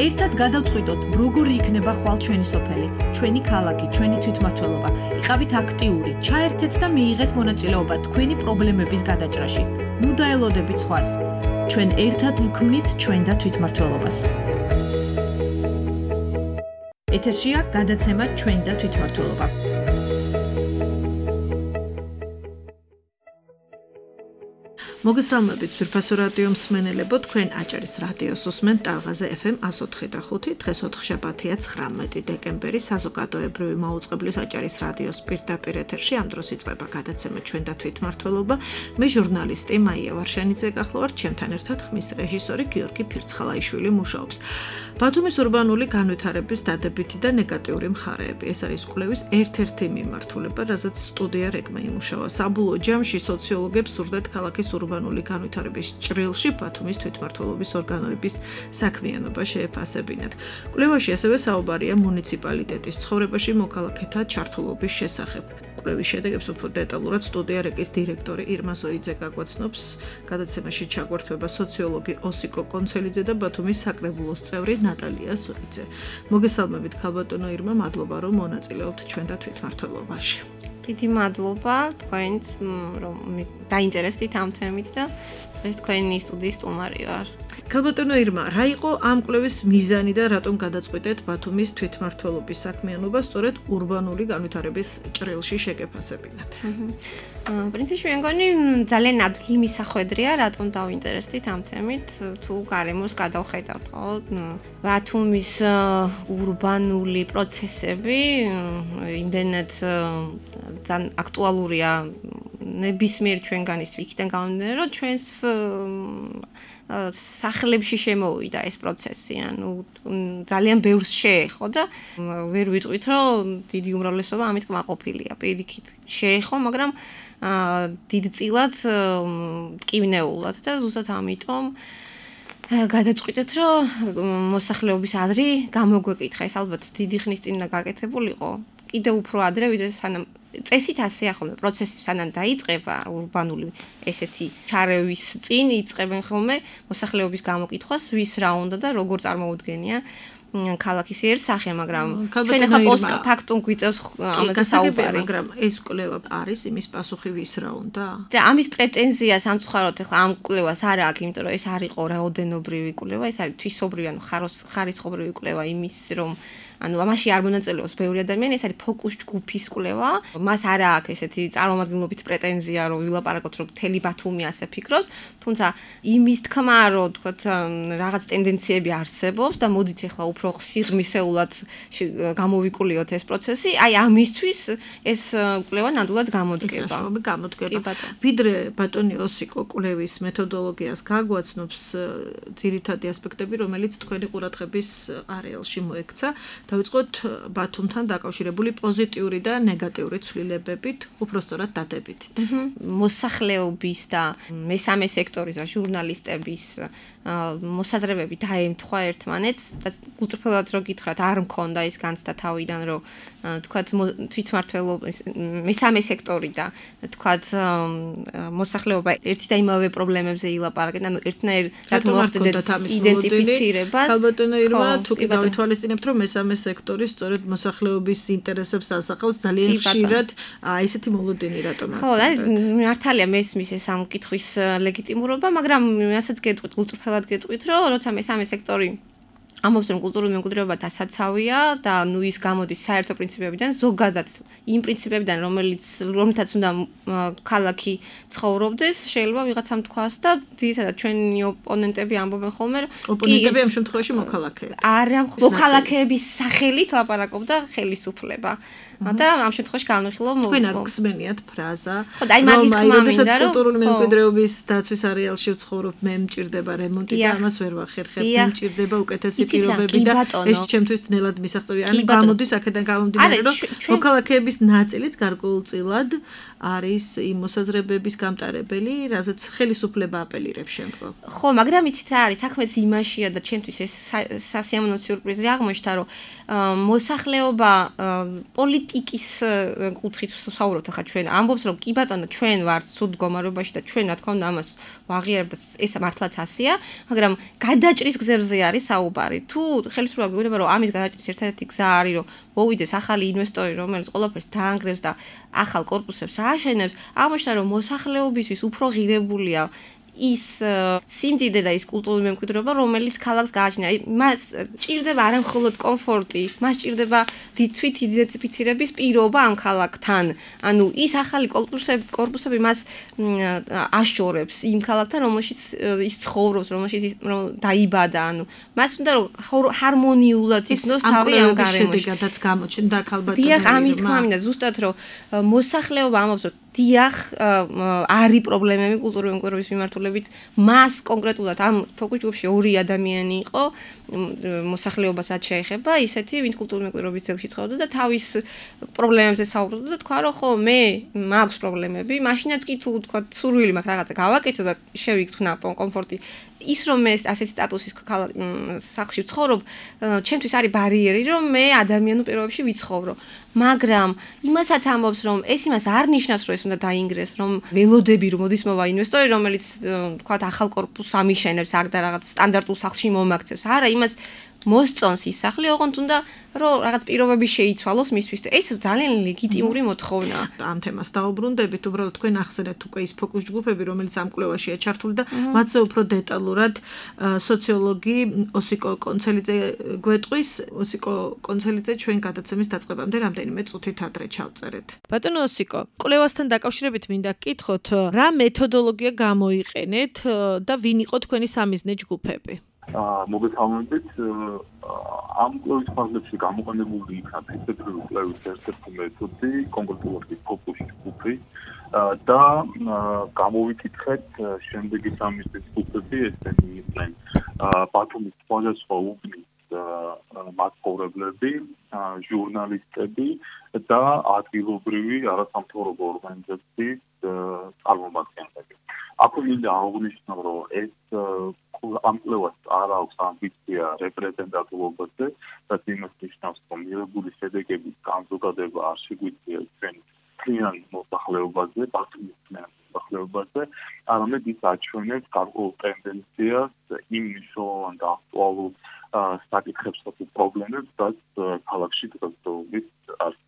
ერთად გადავწყვიტოთ, როგორი იქნება ხვალ ჩვენი სოფელი, ჩვენი ქალაქი, ჩვენი თვითმმართველობა. იყავით აქტიური, ჩაერთეთ და მიიღეთ მონაწილეობა თქვენი პრობლემების გადაჭრაში. ნუ დაელოდებით სხვას. ჩვენ ერთად ვქმნით ჩვენ და თვითმმართველობას. ეთერშია გადაცემა ჩვენ და თვითმმართველობა. მოგესალმებით სვირფასო რადიო მსმენელებო, თქვენ აჭარის რადიოს უსმენთ ტალღაზე FM 104.5. დღეს 4 შაბათია 19 დეკემბერი, საზოგადოებრივი მაუწყებლის აჭარის რადიოს პირდაპირ ეთერში ამ დროს იწყება გადაცემა ჩვენ და თვითმმართველობა. მე ჟურნალისტი მაია ვარშანიძე გახლავართ, ჩემთან ერთად ხმის რეჟისორი გიორგი ფირცხალაიშვილი მუშაობს. ბათუმის ურბანული განვითარების დადებითი და ნეგატიური მხარეები. ეს არის კვლევის ერთ-ერთი მიმართულება, რასაც სტუდია რეგმა იმუშავა. საბოლოო ჯამში სოციოლოგებს სურდათ ქალაქის ურბანული განვითარების ჭრილში ბათუმის თვითმმართველობის ორგანოების საქმიანობა შეეფასებინათ. კვლევაში ასევე საუბარია მუნიციპალიტეტის ცხოვრებაში მოქალაქეთა ჩართულობის შესახებ. კვლევის შედეგებს უფრო დეტალურად სტუდია რეგის დირექტორი ირმა ზოიძე გაგვაცნობს. გადაცემაში ჩაგვერთვება სოციოლოგი ოსიკო კონცელიძე და ბათუმის საკრებულოს წევრი ნატალია ზოიძე. მოგესალმებით ქალბატონო ირმა, მადლობა რომ მონაწილეობთ ჩვენ და თვითმმართველობაში. დიდი მადლობა თქვენს რომ დაინტერესდით ამ თემით და ეს თქვენი სტუდიის სტუმარი ვარ. ქალბატონო ირმა, რა იყო ამ კვლევის მიზანი და რატომ გადაწყვიტეთ ბათუმის თვითმმართველობის საქმიანობა სწორედ ურბანული განვითარების ჭრილში შეგეფასებინათ? პრინციპში მე მგონი ძალიან ადვილი მისახვედრია, რატომ დავინტერესდით ამ თემით, თუ გარემოს გადავხედავთ, ხო? ბათუმის ურბანული პროცესები იმდენად ძალიან აქტუალურია ნებისმიერ ჩვენგანისთვის, იქიდან გამომდინარე, რომ ჩვენს სახლებში შემოვიდა ეს პროცესი, ანუ ძალიან ბევრს შეეხო და ვერ ვიტყვით, რომ დიდი უმრავლესობა ამით კმაყოფილია. პირიქით შეეხო, მაგრამ დიდწილად მტკივნეულად და ზუსტად ამიტომ გადაწყვიტეთ, რომ მოსახლეობის აზრი გამოგვეკითხა. ეს ალბათ დიდი ხნის წინ გაკეთებულიყო. კიდევ უფრო ადრე, ვიდრე სანამ წესით ასე ახლა პროცესი სანამ დაიწყება ურბანული ესეთი ჩარევის წინ იწყებენ ხოლმე მოსახლეობის გამოკითხვას, ვის რა უნდა და როგორ წარმოუდგენია ქალაქის იერსახე, მაგრამ ჩვენ ახლა პოსტფაქტუმ გვიწევს ამაზე საუბარი. მაგრამ ეს კვლევა არის იმის პასუხი, ვის რა უნდა? და ამის პრეტენზია სამწუხაროდ ახლა ამ კვლევას არ აქვს, იმიტომ რომ ეს არ იყო რაოდენობრივი კვლევა, ეს არის თვისობრივი, ანუ ხარისხობრივი კვლევა იმის, რომ ანუ ამაში არ მონაწილეობს ბევრი ადამიანი, ეს არის ფოკუს ჯგუფის კვლევა. მას არ აქვს ესეთი წარმომადგენლობით პრეტენზია, რომ ვილაპარაკოთ, რომ მთელი ბათუმი ასე ფიქრობს, თუმცა იმის თქმა, რომ თქვათ რაღაც ტენდენციები არსებობს და მოდით ახლა უფრო სიღრმისეულად გამოვიკულიოთ ეს პროცესი, აი ამისთვის ეს კვლევა ნამდვილად გამოდგება. ვიდრე ბატონი ოსიკო კვლევის მეთოდოლოგიას გაგვაცნობს ძირითადი ასპექტები, რომელიც თქვენი ყურადღების არეალში მოექცა. დავიწყოთ ბათუმთან დაკავშირებული პოზიტიური და ნეგატიური ცვლილებებით, უფრო სწორად დადებითით. მოსახლეობის და მესამე სექტორის და ჟურნალისტების მოსაზრებები დაემთხვა ერთმანეთს და უწრფელად რო გითხრათ, არ მქონდა ის განცდა თავიდან, რომ თქვათ თვითმმართველობის მესამე სექტორი და თქვათ მოსახლეობა ერთი და იმავე პრობლემებზე ილაპარაკენ, ანუ ერთნაირად მოახდენთ იდენტიფიცირებას. ქალბატონო ირმა, თუ კი გავითვალისწინებთ, რომ მესამე სექტორი სწორედ მოსახლეობის ინტერესებს ასახავს, ძალიან ხშირად ესეთი მოლოდინი რატომ არის? ხო, მართალია მესმის ეს ამ კითხვის ლეგიტიმურობა, მაგრამ რასაც გეტყვით, უწრფელად გეტყვით, რომ როცა მესამე სექტორი ამობს, რომ კულტურული მემკვიდრეობა დასაცავია და ნუ ის გამოდის საერთო პრინციპებიდან, ზოგადად იმ პრინციპებიდან, რომლითაც უნდა ქალაქი ცხოვრობდეს, შეიძლება ვიღაცამ თქვას და ძირითადად ჩვენი ოპონენტები ამბობენ ხოლმე, რომ ოპონენტები ამ შემთხვევაში მოქალაქეები. არა, მოქალაქეების სახელით ლაპარაკობდა ხელისუფლება. და ამ შემთხვევაში განვიხილავ თქვენ არ გსმენიათ ფრაზა, ხო და აი მაგის თქმა მინდა, რომ კულტურული მემკვიდრეობის დაცვის არეალში ვცხოვრობ, მე მჭირდება რემონტი და ამას ვერ ვახერხებ, მჭირდება უკეთესი პირობები და ეს ჩემთვის ძნელად მისაღწევია. ანუ გამოდის აქედან გამომდინარე, რომ მოქალაქეების ნაწილიც გარკვეულწილად არის იმ მოსაზრებების გამტარებელი, რაზეც ხელისუფლება აპელირებს შემდგომ. ხო, მაგრამ იცით რა არის, საქმეც იმაშია და ჩემთვის ეს სასიამოვნო სიურპრიზი აღმოჩნდა, რომ მოსახლეობა პოლიტიკის კუთხით ვსაუბრობთ ახლა ჩვენ ამბობს რომ კი ბატონო ჩვენ ვართ სულ მდგომარეობაში და ჩვენ რა თქმა უნდა ამას ვაღიარებთ ეს მართლაც ასეა მაგრამ გადაჭრის გზებზე არის საუბარი თუ ხელისუფლება გვეუბნება რომ ამის გადაჭრის ერთადერთი გზა არის რომ მოვიდეს ახალი ინვესტორი რომელიც ყველაფერს დაანგრევს და ახალ კორპუსებს ააშენებს აღმოჩნდა რომ მოსახლეობისთვის უფრო ღირებულია ის სიმდიდე და ის კულტურული მემკვიდრეობა რომელიც ქალაქს გააჩნია. მას ჭირდება არა მხოლოდ კომფორტი, მას ჭირდება თვით იდენტიფიცირების პირობა ამ ქალაქთან. ანუ ის ახალი კორპუსები მას აშორებს იმ ქალაქთან, რომელშიც ის ცხოვრობს, რომელშიც ის დაიბადა. ანუ მას უნდა რომ ჰარმონიულად იქნოს თავი ამ გარემოში. შედეგადაც გამოჩნდა ქალბატონი. დიახ, ამის თქმა მინდა ზუსტად რომ მოსახლეობა ამბობს რომ დიახ, არის პრობლემები კულტურული მემკვიდრეობის მიმართულებით. მას კონკრეტულად ამ ფოკუს ჯგუფში 2 ადამიანი იყო მოსახლეობას რაც შეეხება, ისეთი, ვინც კულტურული მემკვიდრეობის ძეგლში ცხოვრობდა და თავის პრობლემებზე საუბრობდა და თქვა, რომ ხო, მე მაქვს პრობლემები, მაშინაც კი თუ თქვა, სურვილი მაქვს რაღაცა გავაკეთო და შევიგრძნა კომფორტი. ის რომ მე ასეთი სტატუსის სახლში ვცხოვრობ, ჩემთვის არის ბარიერი, რომ მე ადამიანურ პირობებში ვიცხოვრო. მაგრამ იმასაც ამბობს, რომ ეს იმას არ ნიშნავს, რომ ეს უნდა დაინგრეს, რომ ველოდები რომ მოდის მოვა ინვესტორი, რომელიც თქვა ახალ კორპუსს ამიშენებს აქ და რაღაც სტანდარტულ სახლში მომაქცევს. არა, იმას მოსწონს ის სახლი, ოღონდ უნდა რომ რაღაც პირობები შეიცვალოს მისთვის. ეს ძალიან ლეგიტიმური მოთხოვნაა. ამ თემას დაუბრუნდებით, უბრალოდ თქვენ ახსენეთ უკვე ის ფოკუს ჯგუფები, რომელიც ამ კვლევაშია ჩართული და მათზე უფრო დეტალურად სოციოლოგი ოსიკო კონცელიძე გვეტყვის. ოსიკო კონცელიძე ჩვენ გადაცემის დაწყებამდე რამდენიმე წუთით ადრე ჩავწერეთ. ბატონო ოსიკო, კვლევასთან დაკავშირებით მინდა გკითხოთ, რა მეთოდოლოგია გამოიყენეთ და ვინ იყო თქვენი სამიზნე ჯგუფები? მოგესალმებით. ამ კვლევის ფარგლებში გამოყენებული იქნა ფიზიკური კვლევის ერთ-ერთი მეთოდი, კონკრეტულად ფოკუს ჯგუფი და გამოვიკითხეთ შემდეგი სამიზნე ჯგუფები, ესენი იყვნენ ბათუმის სხვადასხვა უბნის მაცხოვრებლები, ჟურნალისტები და ადგილობრივი არასამთავრობო ორგანიზაციის წარმომადგენლები. აქ მინდა აღვნიშნო, რომ ეს ამ კვლევას არ აქვს ამბიცია რეპრეზენტატულობაზე, რაც იმას ნიშნავს, რომ მიღებული შედეგების განზოგადება არ შეგვიძლია ჩვენ მთლიან მოსახლეობაზე, ბათუმის მთლიან მოსახლეობაზე, არამედ ის აჩვენებს გარკვეულ ტენდენციას იმ მნიშვნელოვან და აქტუალურ საკითხებს და პრობლემებს, რაც ქალაქში დღესდღეობით არის.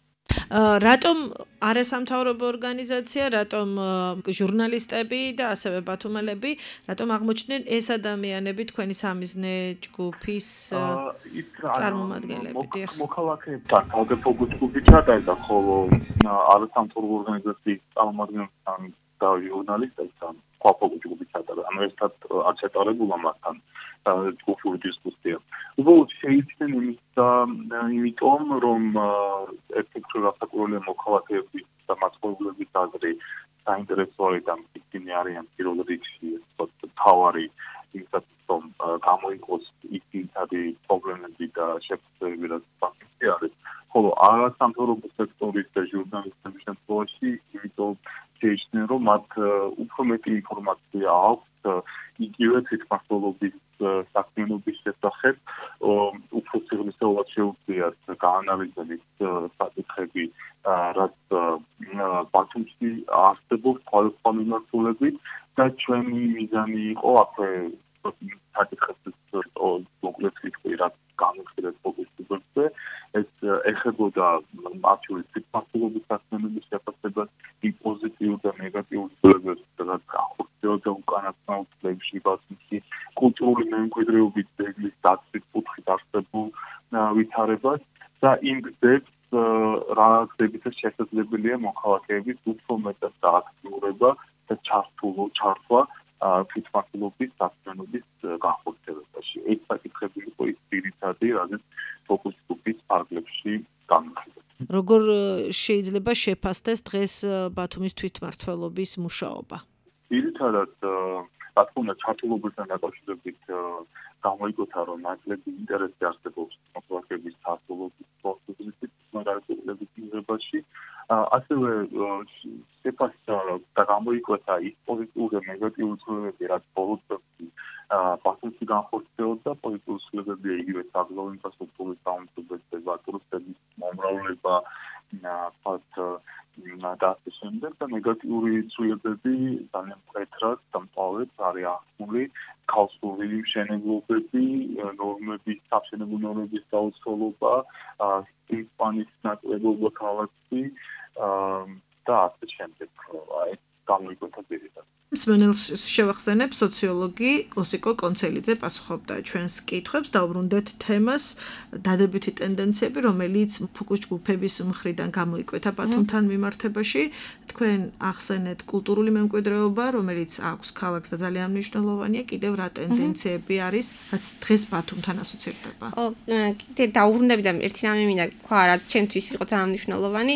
რატომ არასამთავრობო ორგანიზაცია, რატომ ჟურნალისტები და ასევე ბათუმელები, რატომ აღმოჩნდნენ ეს ადამიანები თქვენი სამიზნე ჯგუფის წარმომადგენლები? მოქალაქეებთან თავზე ფოკუს ჯგუფი ჩატარდა, ხოლო არასამთავრობო ორგანიზაციის წარმომადგენლებთან და ჟურნალისტებთან სხვა ფოკუს ჯგუფი ჩატარდა. ანუ ერთად არ ჩატარებულა მათთან ჯგუფური დისკუსია. უბრალოდ შეიცნენ იმიტომ, რომ ერთ-ერთი გასაკვირველია მოქალაქეების და მაცხოვრებლების აზრი საინტერესო არის და ისინი არიან პირველ რიგში თავარი იმისათვის, რომ გამოიყოს ის ძირითადი პრობლემები და შეფასებები, რაც ფაქტი არის. ხოლო არასამთავრობო სექტორის და ჟურნალისტების შემთხვევაში, იმიტომ შეიჩნენ, რომ მათ უფრო მეტი ინფორმაცია აქვს იგივე თვითმმართველობის საქმიანობის შესახებ, უფრო სიღრმისეულად შეუძლიათ გაანალიზების საკითხები, რაც ბათუმში არსებობს სხვადასხვა მიმართულებით და ჩვენი მიზანი იყო აქვე საკითხებს მოკლედ ვიტყვი, რაც განვიხილეთ ფოკუს ჯგუფებზე, ეს ეხებოდა მათთვის თვითმმართველობის საქმიანობის შეფასებას, იმ პოზიტიურ და ნეგატიურ ცვლილებებს, რაც განხორციელდა უკანასკნელ წლებში ბათუმში, კულტურული მემკვიდრეობის ძეგლის დაცვის კუთხით არსებულ ვითარებას და იმ გზებს, რა გზებითაც შესაძლებელია მოქალაქეების უფრო მეტად დააქტიურება და ჩართვა თვითმმართველობის საქმიანობის განხორციელებაში. ეს საკითხები იყო ის ძირითადი, რაზეც ფოკუს ჯგუფის ფარგლებში განვიხილეთ. როგორ შეიძლება შეფასდეს დღეს ბათუმის თვითმმართველობის მუშაობა? ძირითადად, რა თქმა უნდა, ჩართულობასთან დაკავშირებით გამოიგოთა, რომ ნაკლები ინტერესი არსებობს მოქალაქეების ჩართულობის პროცესში, მაგალითად მიღებაში. ასევე შეფასდა და გამოიკვეთა ის პოზიტიური და ნეგატიური ცვლილებები, რაც ბოლო წლებში ბათუმში განხორციელდა. პოზიტიური ცვლილებებია იგივე საბრძოლო ინფრასტრუქტურის დაუმზადებლება, ტურისტების მომრავლება, და ასე შემდეგ და ნეგატიური ცვლილებები ძალიან მკვეთრად დამტვერვებს არის ახსნილი ხალხური მშენებლობები, ნორმების, სამშენებლო ნორმების დაუცველობა, სპანის ნაკლებობა ქალაქში და ასე შემდეგ. აი, გამოიკვეთა პირიდან. მსმენელს შევახსენებ, სოციოლოგი ოსიკო კონცელიძე პასუხობდა ჩვენს კითხვებს, დაუბრუნდეთ თემას დადებითი ტენდენციები, რომელიც ფოკუს ჯგუფების მხრიდან გამოიკვეთა ბათუმთან მიმართებაში. თქვენ ახსენეთ კულტურული მემკვიდრეობა, რომელიც აქვს ქალაქს და ძალიან მნიშვნელოვანია, კიდევ რა ტენდენციები არის, რაც დღეს ბათუმთან ასოცირდება. კიდე დაუბრუნდები და ერთი რამე მინდა თქვა, რაც ჩემთვის იყო ძალიან მნიშვნელოვანი.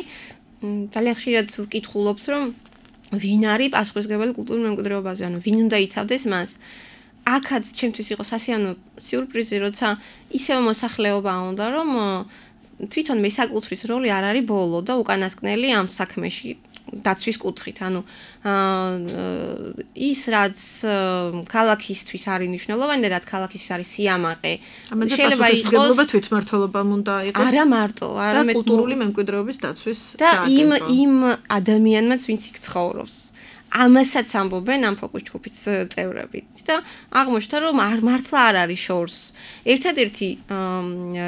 ძალიან ხშირად ვკითხულობთ, რომ ვინ არის პასუხისმგებელი კულტურულ მემკვიდრეობაზე, ანუ ვინ უნდა იცავდეს მას. აქაც ჩემთვის იყო სასიამოვნო სიურპრიზი, როცა ისევ მოსახლეობა უნდა, რომ თვითონ მესაკუთრის როლი არ არის ბოლო და უკანასკნელი ამ საქმეში დაცვის კუთხით. ანუ ის რაც ქალაქისთვის არის მნიშვნელოვანი და რაც ქალაქისთვის არის სიამაყე. შეიძლება იყოს თვითმმართველობამ უნდა იყოს. არა მარტო, არამედ კულტურული მემკვიდრეობის დაცვის და იმ ადამიანმაც ვინც იქ ცხოვრობს. ამასაც ამბობენ ამ ფოკუს ჯგუფის წევრები და აღმოჩნდა რომ მართლა არ არის შორს. ერთადერთი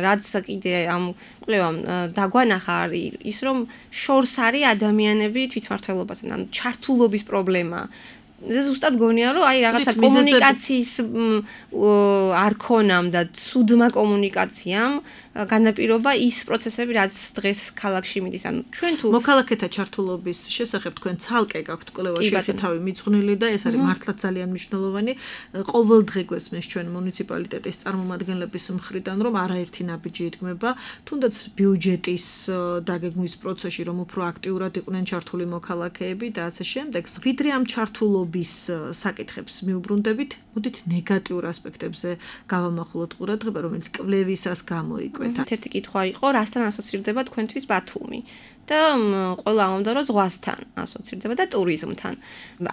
რაც კიდე ამ კვლევამ დაგვანახა არის ის რომ შორს არის ადამიანები თვითმმართველობასთან, ანუ ჩართულობის პრობლემა. ზუსტად გონია რომ აი რაღაცა კომუნიკაციის არ ქონამ და ცუდმა კომუნიკაციამ განაპირობა ის პროცესები რაც დღეს ქალაქში მიდის. ანუ ჩვენ თუ მოქალაქეთა ჩართულობის შესახებ თქვენ ცალკე გაქვთ კვლევაში ერთი თავი მიძღვნილი და ეს არის მართლა ძალიან მნიშვნელოვანი. ყოველდღე გვესმის ჩვენ მუნიციპალიტეტის წარმომადგენლების მხრიდან რომ არაერთი ნაბიჯი იდგმება, თუნდაც ბიუჯეტის დაგეგმვის პროცესში რომ უფრო აქტიურად იყვნენ ჩართული მოქალაქეები და ასე შემდეგ. ვიდრე ამ ჩართულობის საკითხებს მიუბრუნდებით, მოდით ნეგატიურ ასპექტებზე გავამახვილოთ ყურადღება, რომელიც კვლევისას გამოიკვეთა. ერთი კითხვა იყო, რასთან ასოცირდება თქვენთვის ბათუმი? და ყველა ამბობდა, რომ ზღვასთან ასოცირდება და ტურიზმთან.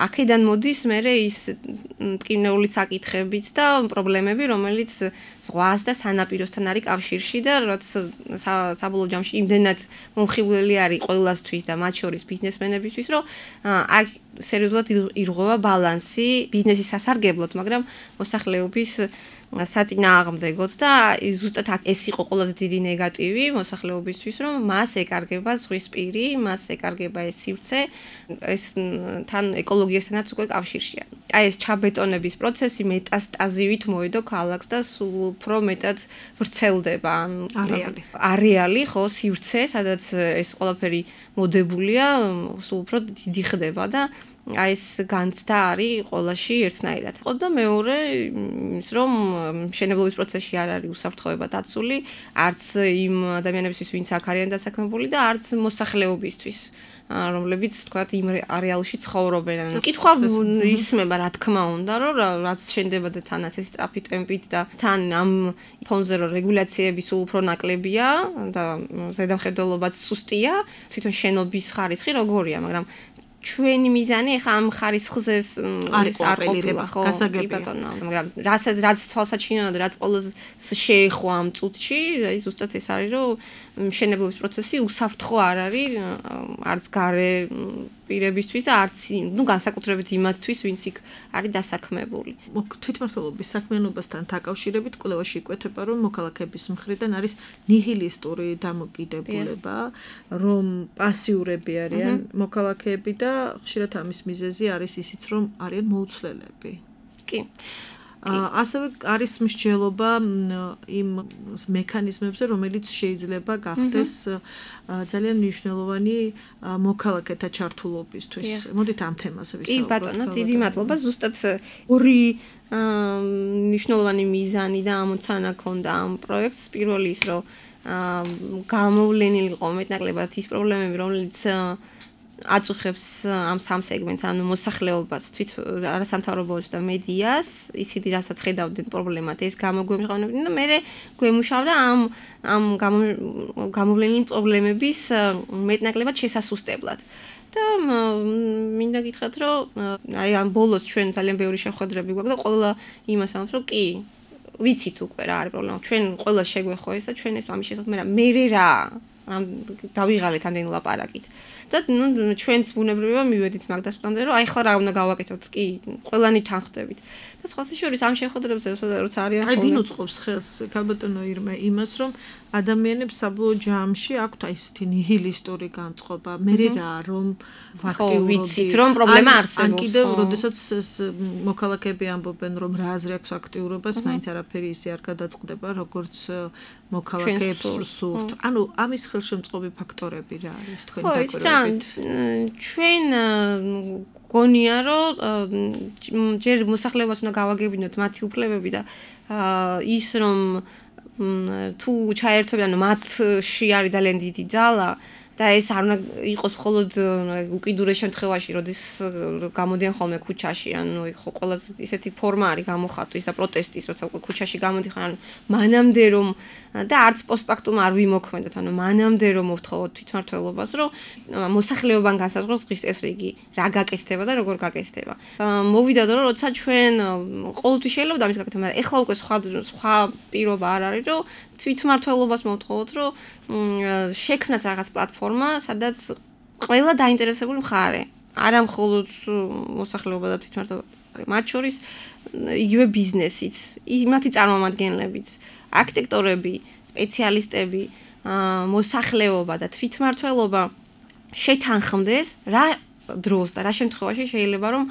აქედან მოდის მერე ის ტკივნეული საკითხებიც და პრობლემები, რომელიც ზღვას და სანაპიროსთან არის კავშირში და რაც საბოლოო ჯამში იმდენად მომხიბვლელი არის ყველასთვის და მათ შორის ბიზნესმენებისთვის, რომ აქ სერიოზულად ირღვევა ბალანსი ბიზნესის სასარგებლოდ, მაგრამ მოსახლეობის საწინააღმდეგოდ და ზუსტად ეს იყო ყველაზე დიდი ნეგატივი მოსახლეობისთვის, რომ მას ეკარგება ზღვის პირი, მას ეკარგება ეს სივრცე, ეს თან ეკოლოგიასთანაც უკვე კავშირშია. აი ეს ჩაბეტონების პროცესი მეტასტაზივით მოედო ქალაქს და სულ უფრო მეტად ვრცელდება არეალი, ხო, სივრცე, სადაც ეს ყველაფერი მოდებულია, სულ უფრო დიდი ხდება და აი ეს განცდა არის ყველაში ერთნაირად. ხო და მეორე ის რომ მშენებლობის პროცესში არ არის უსაფრთხოება დაცული, არც იმ ადამიანებისთვის, ვინც აქ არიან დასაქმებული და არც მოსახლეობისთვის, რომლებიც თქვათ იმ არეალში ცხოვრობენ. ანუ კითხვა ისმება რა თქმა უნდა, რომ რაც შენდება და თან ასეთი სწრაფი ტემპით და თან ამ ფონზე რომ რეგულაციები სულ უფრო ნაკლებია და ზედამხედველობაც სუსტია, თვითონ შენობის ხარისხი როგორია, მაგრამ ჩვენი მიზანი ახლა ამ ხარისხზე არ ყოფილა, ხო, ბატონო, მაგრამ რაც თვალსაჩინოა და რაც ყველაზე შეეხო ამ წუთში, აი ზუსტად ეს არის, რომ მშენებლობის პროცესი უსაფრთხო არ არის არც გარე პირებისთვის და არც განსაკუთრებით იმათთვის, ვინც იქ არის დასაქმებული. თვითმმართველობის საქმიანობასთან დაკავშირებით კვლევაში იკვეთება, რომ მოქალაქეების მხრიდან არის ნიჰილისტური დამოკიდებულება, რომ პასიურები არიან მოქალაქეები და ხშირად ამის მიზეზი არის ისიც, რომ არიან მოუცვლელები. კი. ასევე არის მსჯელობა იმ მექანიზმებზე, რომელიც შეიძლება გახდეს ძალიან მნიშვნელოვანი მოქალაქეთა ჩართულობისთვის. მოდით ამ თემაზე ვისაუბროთ. კი ბატონო, დიდი მადლობა. ზუსტად ორი მნიშვნელოვანი მიზანი და ამოცანა ქონდა ამ პროექტს. პირველი ის, რომ გამოვლენილი იყო მეტნაკლებად ის პრობლემები, რომელიც აწუხებს ამ სამ სეგმენტს, ანუ მოსახლეობას, თვით არასამთავრობოებს და მედიას, ისინი რასაც ხედავდნენ პრობლემად, ეს გამოგვემჟღავნებდნენ და მე გვემუშავდა ამ გამოვლენილი პრობლემების მეტნაკლებად შესასუსტებლად. და მინდა გითხრათ, რომ აი ამ ბოლოს ჩვენ ძალიან ბევრი შეხვედრები გვაქვს და ყველა იმას ამბობს, რომ კი, ვიცით უკვე რა არის პრობლემა. ჩვენ ყველა შეგვეხო ეს და ჩვენ ეს ამის შესახებ მე რა დავიღალეთ ამდენი ლაპარაკით. და ჩვენც ბუნებრივია მივედით მაგ დასკვნამდე, რომ აი ხლა რა უნდა გავაკეთოთ, კი, ყველანი თანხდებით. და და სხვა შორის ამ შეხვედრებზე როცა არიან აი ვინ უწყობს ხელს ქალბატონო ირმა იმას რომ ადამიანებს საბოლოო ჯამში აქვთ აი ესეთი ნიჰილისტური განწყობა მე რა რომ ვაქტიურობთ რომ პრობლემა არსებობს ან კიდევ როდესაც მოქალაქეები ამბობენ რომ რა აზრი აქვს აქტიურობას მაინც არაფერი ისე არ გადაწყდება როგორც მოქალაქეებს სურთ ანუ ამის ხელშემწყობი ფაქტორები რა არის თქვენი დაკვირვებით ჩვენ გონია რომ ჯერ მოსახლეობას უნდა გავაგებინოთ მათი უფლებები და ის რომ თუ ჩაერთვებიან მათში არის ძალიან დიდი ძალა და ეს არ უნდა იყოს მხოლოდ უკიდურეს შემთხვევაში, როდის გამოდიან ხოლმე ქუჩაში, ანუ ხო ყველაზე ისეთი ფორმა არის გამოხატვის და პროტესტის, როცა ქუჩაში გამოდიხარ, ანუ მანამდე რომ და არც პოსტფაქტუმ არ ვიმოქმედოთ, ანუ მანამდე რომ მოვთხოვოთ თვითმმართველობას, რომ მოსახლეობამ განსაზღვროს დღის წესრიგი, რა გაკეთდება და როგორ გაკეთდება. მოვიდა რომ როცა ჩვენ ყოველთვის შეიძლება ამის გაკეთება, მაგრამ ეხლა უკვე სხვა პირობა არ არის, რომ თვითმმართველობას მოვთხოვოთ, რომ შექმნას რაღაც პლატფორმა, სადაც ყველა დაინტერესებული მხარე, არა მხოლოდ მოსახლეობა და თვითმმართველობა, მათ შორის იგივე ბიზნესიც, მათი წარმომადგენლებიც, არქიტექტორები, სპეციალისტები, მოსახლეობა და თვითმმართველობა შეთანხმდეს რა დროს და რა შემთხვევაში შეიძლება რომ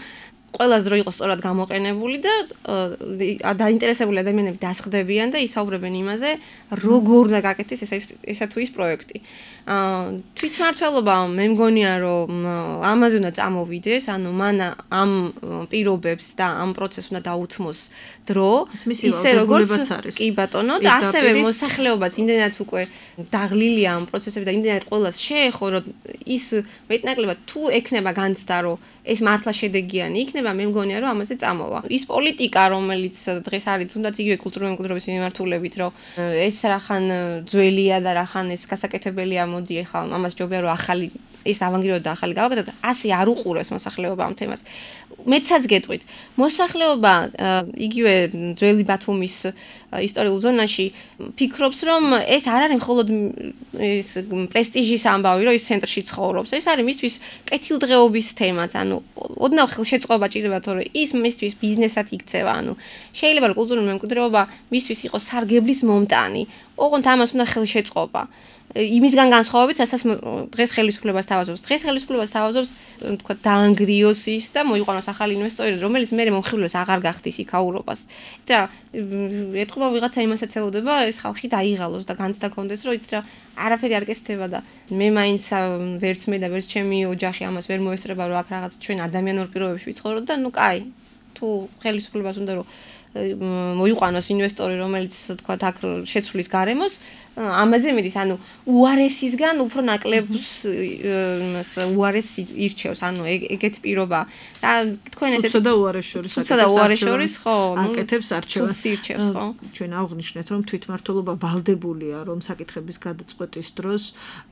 ყველას დრო იყოს სწორად გამოყენებული და დაინტერესებული ადამიანები დასხდებიან და ისაუბრებენ იმაზე, როგორ უნდა გაკეთდეს ესა თუ ის პროექტი. თვითმმართველობა მე მგონია რომ ამაზე უნდა წამოვიდეს, ანუ მან ამ პირობებს და ამ პროცესს უნდა დაუთმოს დრო, ისე როგორც კი ბატონო და ასევე მოსახლეობაც იმდენად უკვე დაღლილია ამ პროცესები და იმდენად ყველას შეეხო, რომ ის მეტნაკლებად თუ ექნება განცდა, რომ ეს მართლა შედეგიანი იქნება, მე მგონია რომ ამაზე წამოვა. ის პოლიტიკა, რომელიც დღეს არის, თუნდაც იგივე კულტურული მემკვიდრეობის მიმართულებით, რომ ეს რახან ძველია და რახან ეს გასაკეთებელია, მოდი ახლა ამას ჯობია რომ ახალი ეს ავანგრიდო და ახალი გავაკეთოთ, ასე არ უყურებს მოსახლეობა ამ თემას. მეცაც გეტყვით, მოსახლეობა იგივე ძველი ბათუმის ისტორიულ ზონაში ფიქრობს, რომ ეს არ არის მხოლოდ ეს პრესტიჟის ამბავი, რომ ის ცენტრში ცხოვრობს. ეს არის მისთვის კეთილდღეობის თემაც, ანუ ოდნავ ხელშეწყობა ჭირდება, თორე ის მისთვის ბიზნესად იქცევა, ანუ შეიძლება რომ კულტურული მემკვიდრეობა მისთვის იყოს სარგებლის მომტანი. ოღონდ ამას უნდა ხელშეწყობა. იმისგან განსხვავებით, რასაც დღეს ხელისუფლებას თავაზობს. დღეს ხელისუფლებას თავაზობს, თქვა, დაანგრიოს ის და მოიყვანოს ახალი ინვესტორი, რომელიც მერე მომხიბლებს აღარ გახდის იქაურობას. და ეთყობა ვიღაცა იმასაც ელოდება, ეს ხალხი დაიღალოს და განცდა კონდეს, რომ იცით რა, არაფერი არ კეთდება და მე მაინც ვერც მე და ვერც ჩემი ოჯახი ამას ვერ მოესწრება, რომ აქ რაღაც ჩვენ ადამიანურ პირობებში ვიცხოვროთ და ნუ კაი, თუ ხელისუფლებას უნდა რომ მოიყვანოს ინვესტორი, რომელიც თქვა აქ შეცვლის გარემოს, ამაზე მიდის, ანუ უარესისგან უფრო ნაკლებს უარესს ირჩევს, ანუ ეგეთი პირობა. და თქვენ ესეთ სუცსა და უარეს შორის სუცსა და უარეს შორის ხო, აკეთებს არჩევას ირჩევს, ხო? ჩვენ აღვნიშნეთ, რომ თვითმმართველობა ვალდებულია, რომ საკითხების გადაწყვეტის დროს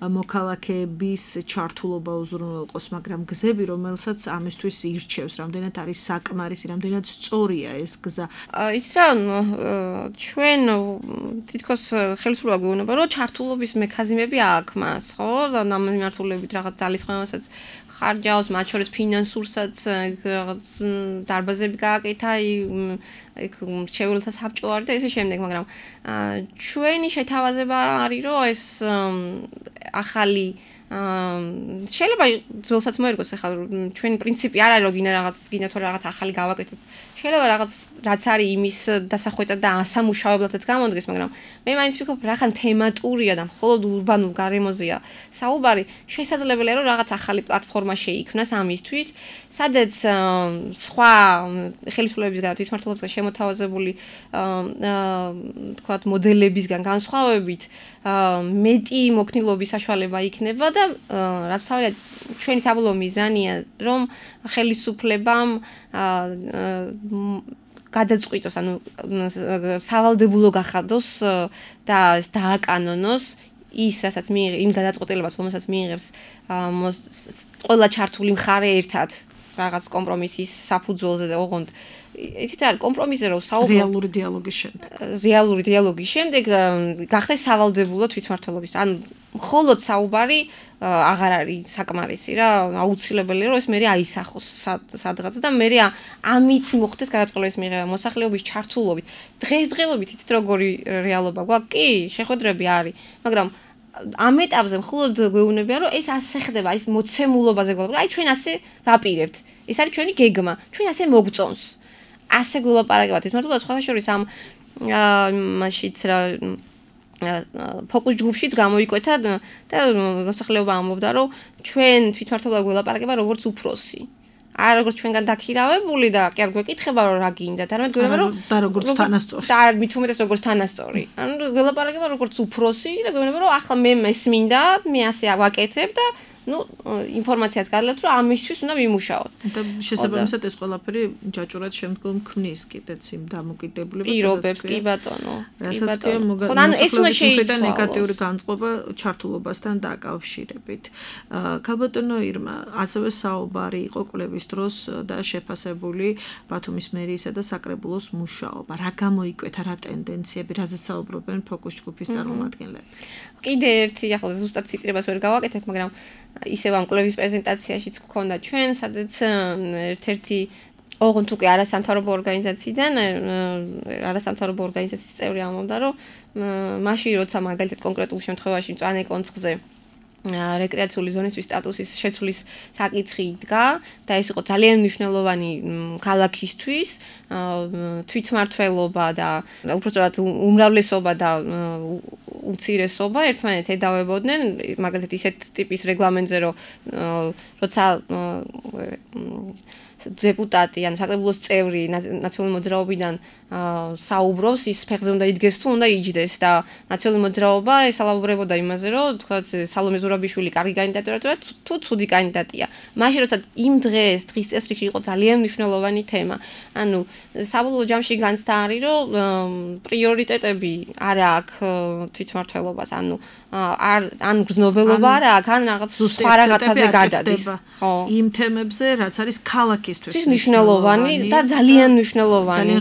მოქალაქეების ჩართულობა უზრუნველყოს, მაგრამ გზები, რომელსაც ამისთვის ირჩევს, რამდენად არის საკმარისი, რამდენად სწორია ეს გზა. იცით რა, ჩვენ თითქოს ხელისუფლება გვეუბნება, რომ ჩართულობის მექანიზმები აქვს მას, ხო? და ამ მიმართულებით რაღაც ძალისხმევასაც ხარჯავს, მათ შორის ფინანსურსაც რაღაც დარბაზები გააკეთა, ეგ მრჩეველთა საბჭო არის და ესე შემდეგ, მაგრამ ჩვენი შეთავაზება არის, რომ ეს ახალი შეიძლება ძველსაც მოერგოს ახლა ჩვენი პრინციპი არ არის რომ გინდა თუ რაღაც ახალი გავაკეთოთ. შეიძლება რაღაც რაც არის იმის დასახვეწად და ასამუშავებლადაც გამოდგეს, მაგრამ მე მაინც ვფიქრობ რახან თემატურია და მხოლოდ ურბანულ გარემოზეა საუბარი, შესაძლებელია რომ რაღაც ახალი პლატფორმა შეიქმნას ამისთვის, სადაც სხვა ხელისუფლებებისგან თვითმმართველობისგან შემოთავაზებული თქვათ მოდელებისგან განსხვავებით მეტი მოქნილობის საშუალება იქნება და რაც თავია ჩვენი საბოლოო მიზანია რომ ხელისუფლებამ გადაწყვიტოს, ანუ სავალდებულო გახადოს და დააკანონოს ის, რასაც იმ გადაწყვეტილებას, რომელსაც მიიღებს ყველა ჩართული მხარე ერთად რაღაც კომპრომისის საფუძველზე და ოღონდ იცით რა, კომპრომისზე რომ საუბრობ რეალური დიალოგის შემდეგ. რეალური დიალოგის შემდეგ გახდეს სავალდებულო თვითმმართველობის. ანუ მხოლოდ საუბარი აღარ არის საკმარისი რა, აუცილებელია რომ ეს მე აისახოს სადღაც და მე ამით მოხდეს გადაწყვეტილის მიღება მოსახლეობის ჩართულობით. დღესდღეობით იცით როგორი რეალობა გვაქვს? კი, შეხვედრები არის, მაგრამ ამ ეტაპზე მხოლოდ გვეუბნებიან რომ ეს ასე ხდება, ის მოცემულობაზე გვალავთ. აი ჩვენ ასე ვაპირებთ. ეს არის ჩვენი გეგმა. ჩვენ ასე მოგწონს. ასე გულაპარაკებთ თვითმმართველობა სხვა შორის ამ მაშიც რა ფოკუს ჯგუფშიც გამოიკვეთა და მოსახლეობა ამბობდა რომ ჩვენ თვითმმართველობა გულაპარაკება როგორც უფროსი. არ როგორც ჩვენგან დაქირავებული და კი არ გვეკითხება რომ რა გინდათ, არამედ გვეუბნება რომ და როგორც თანასწორი. და მით უმეტეს როგორც თანასწორი. ანუ გულაპარაკება როგორც უფროსი და გვეუბნება რომ ახლა მე მესმინდა, მე ასე ვაკეთებ და ინფორმაციას გადალებთ რომ ამისთვის უნდა ვიმუშაოთ. და შესაბამისად ეს ყველაფერი ჯაჭურად შემდგომ ქმნის კიდეც იმ დამოკიდებულებას, პირობებს, კი ბატონო. რასაც კი მოსახლეობის ნეგატიური განწყობა ჩართულობასთან დაკავშირებით. ქალბატონო ირმა, ასევე საუბარი იყო კვლევის დროს და შეფასებული ბათუმის მერიისა და საკრებულოს მუშაობა. რა გამოიკვეთა, რა ტენდენციები, რაზე საუბრობენ ფოკუს ჯგუფის წარმომადგენლები? კიდე ერთი ახლა ზუსტად ციტირებას ვერ გავაკეთებ, მაგრამ ისევ ამ კვლევის პრეზენტაციაშიც გქონდა ჩვენ, სადაც ერთ-ერთი ოღონდ უკვე არასამთავრობო ორგანიზაციიდან, არასამთავრობო ორგანიზაციის წევრი ამბობდა, რომ მაშინ როცა მაგალითად კონკრეტულ შემთხვევაში მწვანე კონცხზე რეკრეაციული ზონისთვის სტატუსის შეცვლის საკითხი იდგა და ეს იყო ძალიან მნიშვნელოვანი ქალაქისთვის, თვითმმართველობა და უпростоრად უმრავლესობა და უმცირესობა ერთმანეთს ედავებოდნენ, მაგალითად ისეთ ტიპის რეგლამენტზე, რომ როცა დეპუტატი ან საკრებულოს წევრი ნაციონალური მოძრაობიდან საუბრობს, ის ფეხზე უნდა იდგეს თუ უნდა იჯდეს და ნაციონალური მოძრაობა ესალაბრებოდა იმაზე, რომ თქვა სალომე ზურაბიშვილი კარგი კანდიდატია თუ ცუდი კანდიდატია. მაშინ როცა იმ დღის წესრიგში იყო ძალიან მნიშვნელოვანი თემა. ანუ საბოლოო ჯამში განცდა არის, რომ პრიორიტეტები არ აქვს თვითმმართველობას, ან გრძნობელობა არ აქვს, ან რაღაც სხვა რაღაცაზე გადადის. ხო. იმ თემებზე, რაც არის ქალაქისთვის მნიშვნელოვანი და ძალიან მნიშვნელოვანი.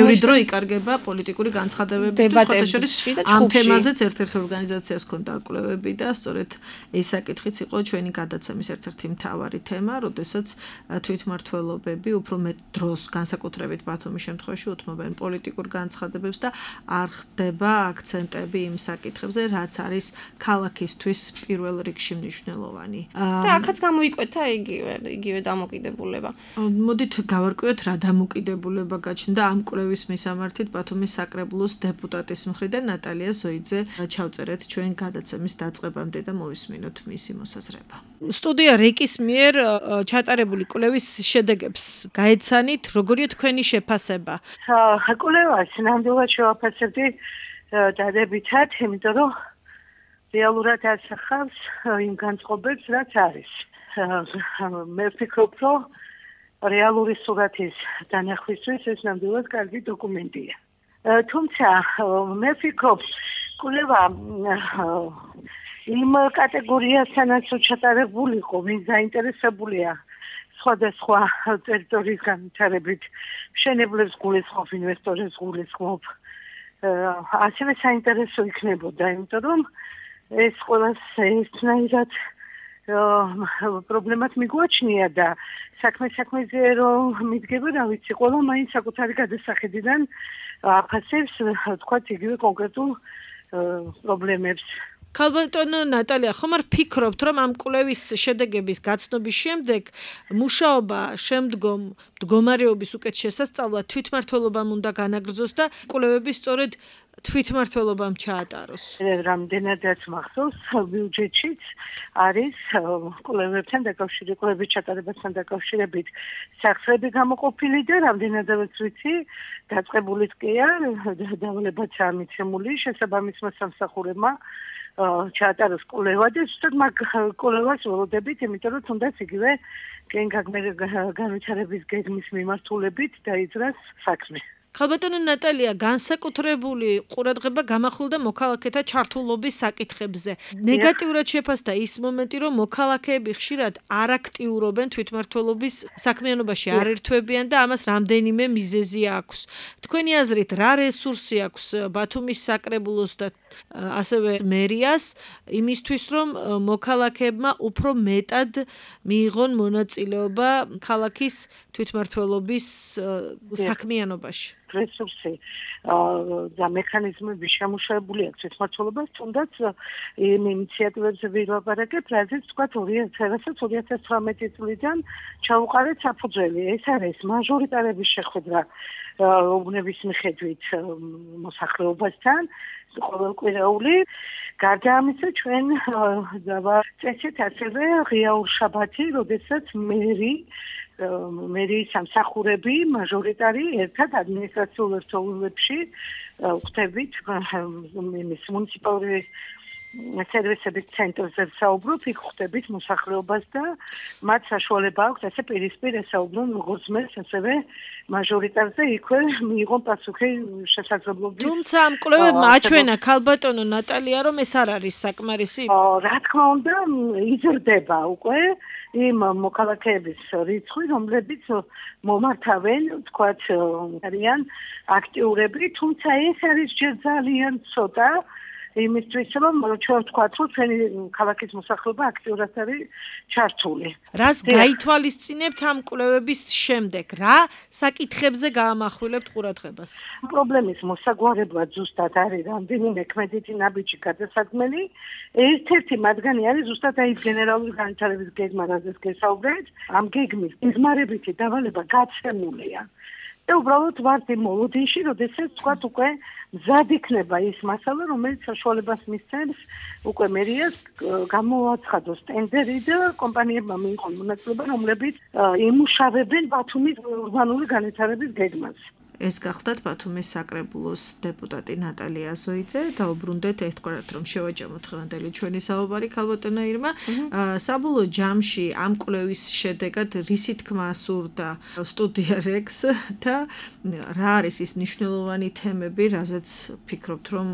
ბევრი დრო იკარგება პოლიტიკური განცხადებებისთვის, ამ თემაზეც ერთ-ერთ ორგანიზაციას ჰქონდა კვლევები და სწორედ ეს საკითხიც იყო ჩვენი გადაცემის ერთ-ერთი მთავარი თემა, როდესაც თვითმმართველობები უფრო მეტ დროს განსაკუთრებით ბათუმის შემთხვევაში უთმობენ პოლიტიკურ განცხადებებს და არ ხდება აქცენტები იმ საკითხებზე, რაც არის ქალაქისთვის პირველ რიგში მნიშვნელოვანი. და აქაც გამოიკვეთა იგივე დამოკიდებულება. მოდით გავარკვიოთ რა დამოკიდებულება გაჩნდა ამ კვლევის მისამართით ბათუმის საკრებულოს დეპუტატის მხრიდან ნატალია ზოიძე. ჩავწერეთ ჩვენ გადაცემის დაწყებამდე და მოვისმინოთ მისი მოსაზრება. სტუდია რეკის მიერ ჩატარებული კვლევის შედეგებს გაეცანით, როგორია თქვენი შეფასება? კვლევას ნამდვილად შევაფასებდი დადებითად, იმიტომ რომ რეალურად ასახავს იმ განწყობებს, რაც არის. მე ვფიქრობ, რომ რეალური სურათის დანახვისთვის ეს ნამდვილად კარგი დოკუმენტია. თუმცა მე ვფიქრობ, კვლევა იმ კატეგორიასთანაც ჩატარებულიყო, ვინც დაინტერესებულია სხვადასხვა ტერიტორიის განვითარებით, მშენებლებს გულისხმობ, ინვესტორებს გულისხმობ. ასევე საინტერესო იქნებოდა, იმიტომ რომ ეს ყველას ერთნაირად პრობლემად მიგვაჩნია და საქმეზე რომ მიდგება, რა ვიცი, ყველა მაინც საკუთარი გადასახედიდან აფასებს, თქვათ, იგივე კონკრეტულ პრობლემებს. ქალბატონო ნატალია, ხომ არ ფიქრობთ, რომ ამ კვლევის შედეგების გაცნობის შემდეგ მუშაობა შემდგომ მდგომარეობის უკეთ შესასწავლად თვითმმართველობამ უნდა განაგრძოს და კვლევები სწორედ თვითმმართველობამ ჩაატაროს? რამდენადაც მახსოვს, ბიუჯეტშიც არის კვლევებთან დაკავშირებით, კვლევების ჩატარებასთან დაკავშირებით სახსრები გამოყოფილი და რამდენადაც ვიცი, დაწყებულიც კი არ, დავლებაც ამიცემული შესაბამის მოსამსახურებმა ჩაატაროს კვლევა და ზუსტად მაგ კვლევას ველოდებით, იმიტომ რომ თუნდაც იგივე განვითარების გეგმის მიმართულებით დაიძრას საქმე. ხალბატონო ნატალია, განსაკუთრებული ყურადღება გამახვილდა მოქალაქეთა ჩართულობის საკითხებზე. ნეგატიურად შეფასდა ის მომენტი, რომ მოქალაქეები ხშირად არ აქტიურობენ თვითმმართველობის საქმიანობაში, არ ერთვებიან და ამას რამდენიმე მიზეზი აქვს. თქვენი აზრით, რა რესურსი აქვს ბათუმის საკრებულოს და ასევე მერიას იმისთვის, რომ მოქალაქეებმა უფრო მეტად მიიღონ მონაწილეობა ქალაქის თვითმმართველობის საქმიანობაში? რესურსი და მექანიზმები შემუშავებული აქვს თვითმმართველობას, თუნდაც იმ ინიციატივებზე ვილაპარაკებ, რაზეც თქვა 2018 წლიდან ჩაუყარეთ საფუძველი. ეს არის მაჟორიტარების შეხვედრა უბნების მიხედვით მოსახლეობასთან, ყოველკვირეული. გარდა ამისა, ჩვენ დავაწესეთ ასევე ღიაურ შაბათი, როდესაც მერიის სამსახურები მაჟორიტარი ერთად ადმინისტრაციულ ერთეულებში ვხვდებით იმის მუნიციპალური სერვისების ცენტრზე საუბრობ, იქ ხვდებით მოსახლეობას და მათ საშუალება აქვს ასე პირისპირ ესაუბრონ როგორც მერს, ასევე მაჟორიტარზე იქვე მიიღონ პასუხი შესაძლებლობით. თუმცა ამ კვლევებმა აჩვენა ქალბატონო ნატალია, რომ ეს არ არის საკმარისი. რა თქმა უნდა, იზრდება უკვე იმ მოქალაქეების რიცხვი, რომლებიც მომართავენ, თქვათ, არიან აქტიურები, თუმცა ეს არის ჯერ ძალიან ცოტა იმისთვის, რომ ჩვენ ვთქვათ, რომ ჩვენი ქალაქის მოსახლეობა აქტიურად არის ჩართული. რას გაითვალისწინებთ ამ კვლევების შემდეგ? რა საკითხებზე გაამახვილებთ ყურადღებას? პრობლემის მოსაგვარებლად ზუსტად არის რამდენიმე ქმედითი ნაბიჯი გადასადგმელი. ერთ-ერთი მათგანი არის ზუსტად აი გენერალური განვითარების გეგმა, რაზეც გესაუბრეთ. ამ გეგმის გიზმარებითი დავალება გაცემულია. და უბრალოდ ვართ იმ მოლოდინში, როდესაც თქვათ უკვე მზად იქნება ის მასალა, რომელიც საშუალებას მისცემს უკვე მერიას გამოაცხადოს ტენდერი და კომპანიებმა მიიღონ მონაწილეობა, რომლებიც იმუშავებენ ბათუმის ურბანული განვითარების გეგმას. ეს გახდათ ბათუმის საკრებულოს დეპუტატი ნატალია ზოიძე. დაუბრუნდეთ ერთგვარად, რომ შევაჯამოთ დღევანდელი ჩვენი საუბარი ქალბატონო ირმა. საბოლოო ჯამში ამ კვლევის შედეგად რისი თქმა სურდა სტუდია რექს და რა არის ის მნიშვნელოვანი თემები, რაზეც ფიქრობთ, რომ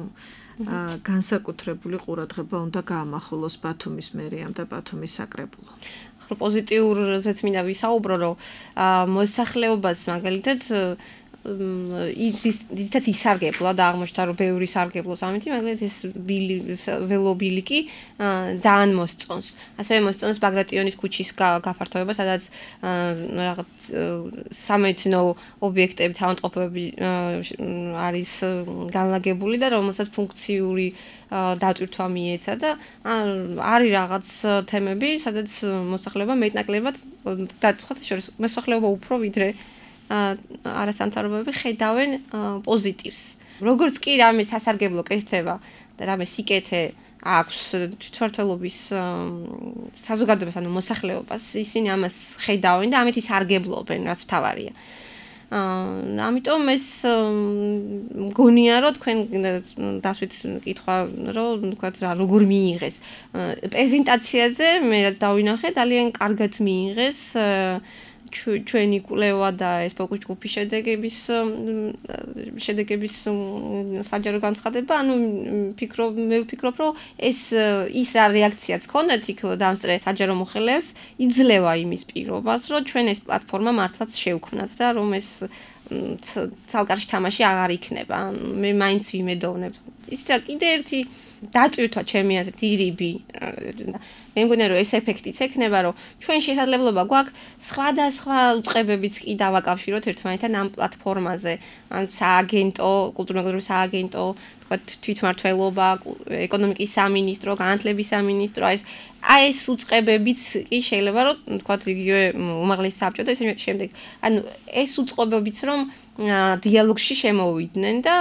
განსაკუთრებული ყურადღება უნდა გაამახვილოს ბათუმის მერიამ და ბათუმის საკრებულო? პოზიტიურზეც მინდა ვისაუბრო, რომ მოსახლეობას მაგალითად დიდად ისარგებლა და აღმოჩნდა, რომ ბევრი სარგებლობს ამით, მაგალითად ეს ველობილიკი ძალიან მოსწონს. ასევე მოსწონს ბაგრატიონის ქუჩის გაფართოება, სადაც რაღაც სამეცნიერო ობიექტები, თავმოყრობები არის განლაგებული და რომელსაც ფუნქციური დატვირთვა მიეცა და არის რაღაც თემები, სადაც მოსახლეობა მეტნაკლებად დათხოთ შორის მოსახლეობა უფრო ვიდრე არასამთავრობოები ხედავენ პოზიტივს. როგორც კი რამე სასარგებლო კეთდება და რამე სიკეთე აქვს თვითმმართველობის საზოგადოებას, ანუ მოსახლეობას, ისინი ამას ხედავენ და ამით ისარგებლობენ, რაც მთავარია. ამიტომ ეს მგონია, რომ თქვენ დასვით კითხვა, რომ თქვათ რა როგორ მიიღეს. პრეზენტაციაზე მე რაც დავინახე, ძალიან კარგად მიიღეს ჩვენი კვლევა და ეს ფოკუს ჯგუფის შედეგების საჯარო განცხადება, ანუ მე ვფიქრობ, რომ ის რა რეაქციაც ქონდათ იქ დამსწრე საჯარო მოხელეებს, იძლევა იმის პირობას, რომ ჩვენ ეს პლატფორმა მართლაც შევქმნათ და რომ ეს ცალკარში თამაში აღარ იქნება. მე მაინც ვიმედოვნებ. ის რა კიდე ერთი დატვირთვა ჩემი აზრით ირიბი. მე მგონია რომ ეს ეფექტიც ექნება, რომ ჩვენ შესაძლებლობა გვაქვს სხვადასხვა უწყებებიც კი დავაკავშიროთ ერთმანეთთან ამ პლატფორმაზე. ანუ სააგენტო, კულტურულ-მეგობრობის სააგენტო, თქვა თვითმმართველობა, ეკონომიკის სამინისტრო, განათლების სამინისტრო, ეს უწყებებიც კი შეიძლება რომ თქვა იგივე უმაღლესი საბჭო და ესე შემდეგ. ანუ ეს უწყებებიც რომ დიალოგში შემოვიდნენ და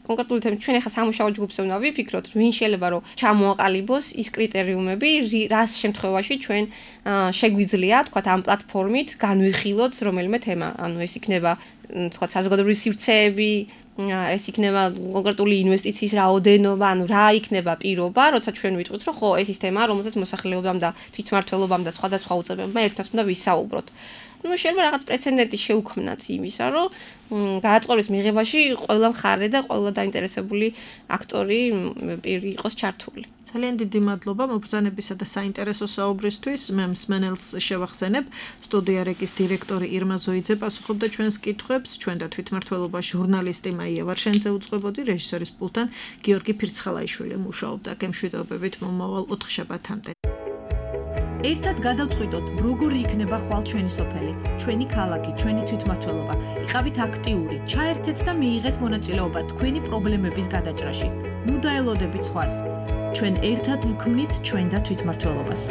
კონკრეტულად ჩვენ ახლა სამუშაო ჯგუფზე უნდა ვიფიქროთ, ვინ შეიძლება რომ ჩამოაყალიბოს ის კრიტერიუმები, რას შემთხვევაში ჩვენ შეგვიძლია, თქვა ამ პლატფორმით განვიხილოთ რომელიმე თემა. ანუ ეს იქნება თქვა საზოგადოებრივი სივრცეები, ეს იქნება კონკრეტული ინვესტიციის რაოდენობა, ანუ რა იქნება პირობა, როცა ჩვენ ვიტყვით, რომ ხო, ეს ის თემაა, რომელსაც მოსახლეობამ და თვითმმართველობამ და სხვადასხვა უწყებებმა ერთად უნდა ვისაუბროთ. შეიძლება რაღაც პრეცედენტი შეუქმნათ იმისა, რომ გააწყობის მიღებაში ყველა მხარე და ყველა დაინტერესებული აქტორი პირი იყოს ჩართული. ძალიან დიდი მადლობა მობრძანებისა და საინტერესო საუბრისთვის. მე მსმენელს შევახსენებ, სტუდია რეკის დირექტორი ირმა ზოიძე პასუხობდა ჩვენს კითხვებს, ჩვენ და თვითმმართველობა ჟურნალისტი მაია ვარშენიძე უწყებოდი, რეჟისორის პულტთან გიორგი ფირცხალაიშვილი მუშაობდა. გემშვიდობებით მომავალ 4 შაბათამდე. ერთად გადავწყვიტოთ, როგორი იქნება ხვალ ჩვენი სოფელი, ჩვენი ქალაქი, ჩვენი თვითმმართველობა. იყავით აქტიური, ჩაერთეთ და მიიღეთ მონაწილეობა თქვენი პრობლემების გადაჭრაში. ნუ დაელოდებით სხვას. ჩვენ ერთად ვქმნით ჩვენ და თვითმმართველობას.